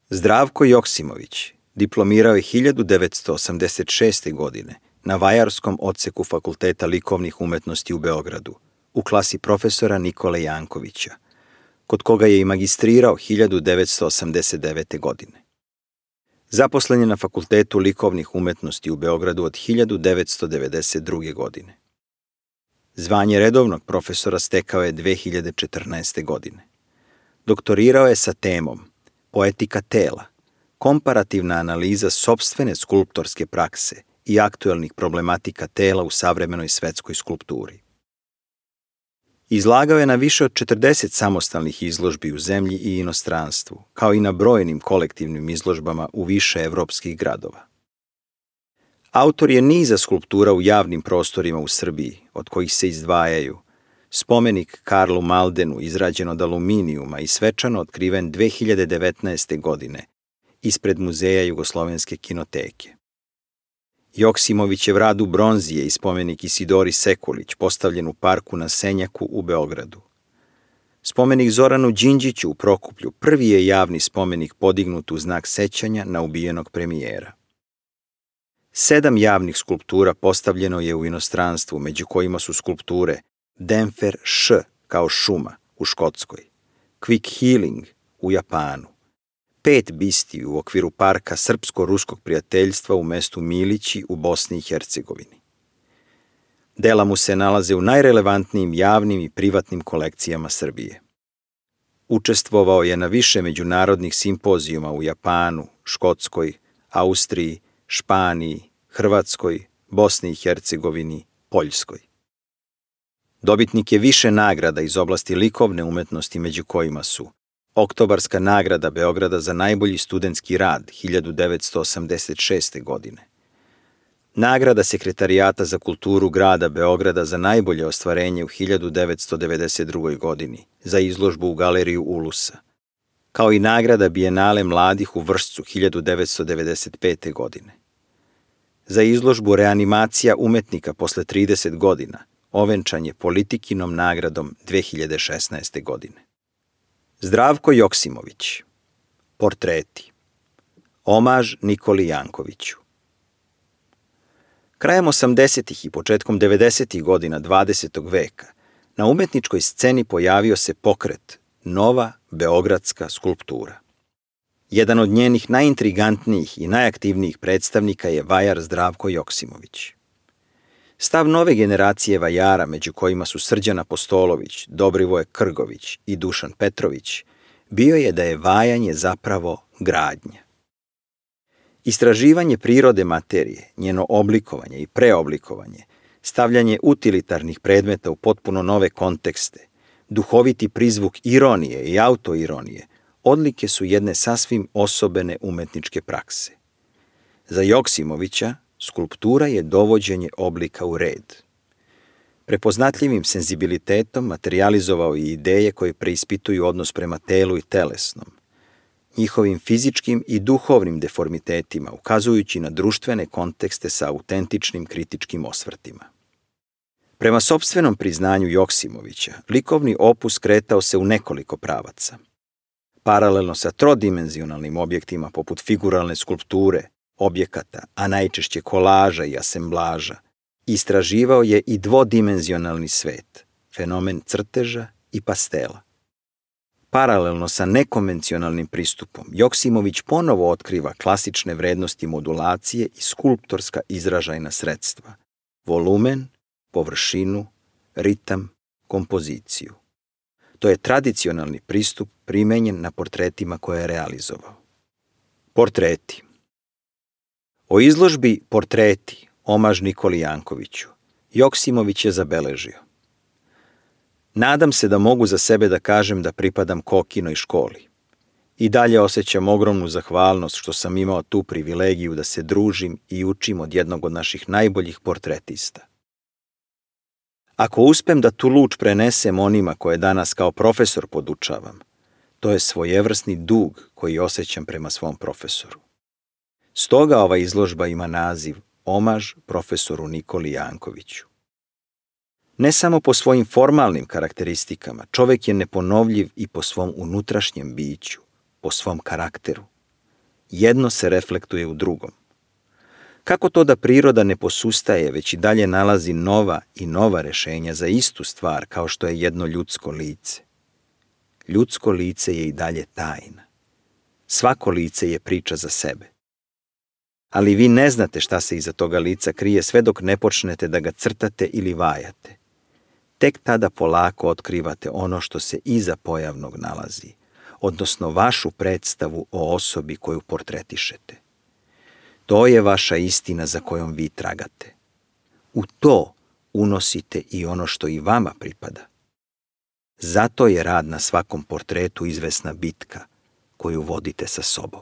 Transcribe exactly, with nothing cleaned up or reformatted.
Zdravko Joksimović diplomirao je hiljadu devetsto osamdeset šeste. godine na Vajarskom odseku Fakulteta likovnih umetnosti u Beogradu, u klasi profesora Nikole Jankovića, kod koga je i magistrirao hiljadu devetsto osamdeset devete. godine. Zaposlen je na Fakultetu likovnih umetnosti u Beogradu od hiljadu devetsto devedeset druge. godine. Zvanje redovnog profesora stekao je dve hiljade četrnaeste. godine. Doktorirao je sa temom Poetika tela, komparativna analiza sopstvene skulptorske prakse i aktuelnih problematika tela u savremenoj svetskoj skulpturi. Izlagao je na više od četrdeset samostalnih izložbi u zemlji i inostranstvu, kao i na brojnim kolektivnim izložbama u više evropskih gradova. Autor je niza skulptura u javnim prostorima u Srbiji, od kojih se izdvajaju spomenik Karlu Maldenu izrađen od aluminijuma i svečano otkriven dve hiljade devetnaeste. godine ispred Muzeja Jugoslovenske kinoteke. Joksimovićev rad u bronzi je i spomenik Isidori Sekulić postavljen u parku na Senjaku u Beogradu. Spomenik Zoranu Đinđiću u Prokuplju prvi je javni spomenik podignut u znak sećanja na ubijenog premijera. Sedam javnih skulptura postavljeno je u inostranstvu, među kojima su skulpture Denfer Š kao šuma u Škotskoj, Quick Healing u Japanu, pet bistiju u okviru parka Srpsko-ruskog prijateljstva u mestu Milići u Bosni i Hercegovini. Dela mu se nalaze u najrelevantnijim javnim i privatnim kolekcijama Srbije. Učestvovao je na više međunarodnih simpozijuma u Japanu, Škotskoj, Austriji, Španiji, Hrvatskoj, Bosni i Hercegovini, Poljskoj. Dobitnik je više nagrada iz oblasti likovne umetnosti, među kojima su Oktobarska nagrada Beograda za najbolji studentski rad hiljadu devetsto osamdeset šeste. godine, nagrada Sekretarijata za kulturu grada Beograda za najbolje ostvarenje u hiljadu devetsto devedeset drugoj. godini za izložbu u galeriju Ulusa, kao i nagrada Bijenale mladih u Vršcu hiljadu devetsto devedeset pete. godine. Za izložbu Reanimacija umetnika posle trideset godina ovenčan je Politikinom nagradom dve hiljade šesnaeste. godine. Zdravko Joksimović. Portreti. Omaž Nikoli Jankoviću. Krajem osamdesetih i početkom devedesetih godina dvadesetog veka na umetničkoj sceni pojavio se pokret Nova beogradska skulptura. Jedan od njenih najintrigantnijih i najaktivnijih predstavnika je vajar Zdravko Joksimović. Stav nove generacije vajara, među kojima su Srđan Apostolović, Dobrivoje Krgović i Dušan Petrović, bio je da je vajanje zapravo gradnja. Istraživanje prirode materije, njeno oblikovanje i preoblikovanje, stavljanje utilitarnih predmeta u potpuno nove kontekste, duhoviti prizvuk ironije i autoironije, odlike su jedne sasvim osobene umetničke prakse. Za Joksimovića skulptura je dovođenje oblika u red. Prepoznatljivim senzibilitetom materijalizovao je ideje koje preispituju odnos prema telu i telesnom, njihovim fizičkim i duhovnim deformitetima, ukazujući na društvene kontekste sa autentičnim kritičkim osvrtima. Prema sopstvenom priznanju Joksimovića, likovni opus kretao se u nekoliko pravaca. Paralelno sa trodimenzionalnim objektima poput figuralne skulpture, objekata, a najčešće kolaža i asemblaža, istraživao je i dvodimenzionalni svet, fenomen crteža i pastela. Paralelno sa nekonvencionalnim pristupom, Joksimović ponovo otkriva klasične vrednosti modulacije i skulptorska izražajna sredstva, volumen, površinu, ritam, kompoziciju. To je tradicionalni pristup primenjen na portretima koje je realizovao. Portreti. O izložbi Portreti, omaž Nikoli Jankoviću, Joksimović je zabeležio: nadam se da mogu za sebe da kažem da pripadam Kokinoj školi. I dalje osjećam ogromnu zahvalnost što sam imao tu privilegiju da se družim i učim od jednog od naših najboljih portretista. Ako uspem da tu luč prenesem onima koje danas kao profesor podučavam, to je svojevrsni dug koji osjećam prema svom profesoru. Stoga ova izložba ima naziv Omaž profesoru Nikoli Jankoviću. Ne samo po svojim formalnim karakteristikama, čovek je neponovljiv i po svom unutrašnjem biću, po svom karakteru. Jedno se reflektuje u drugom. Kako to da priroda ne posustaje, već i dalje nalazi nova i nova rešenja za istu stvar kao što je jedno ljudsko lice? Ljudsko lice je i dalje tajna. Svako lice je priča za sebe. Ali vi ne znate šta se iza toga lica krije sve dok ne počnete da ga crtate ili vajate. Tek tada polako otkrivate ono što se iza pojavnog nalazi, odnosno vašu predstavu o osobi koju portretišete. To je vaša istina za kojom vi tragate. U to unosite i ono što i vama pripada. Zato je rad na svakom portretu izvesna bitka koju vodite sa sobom.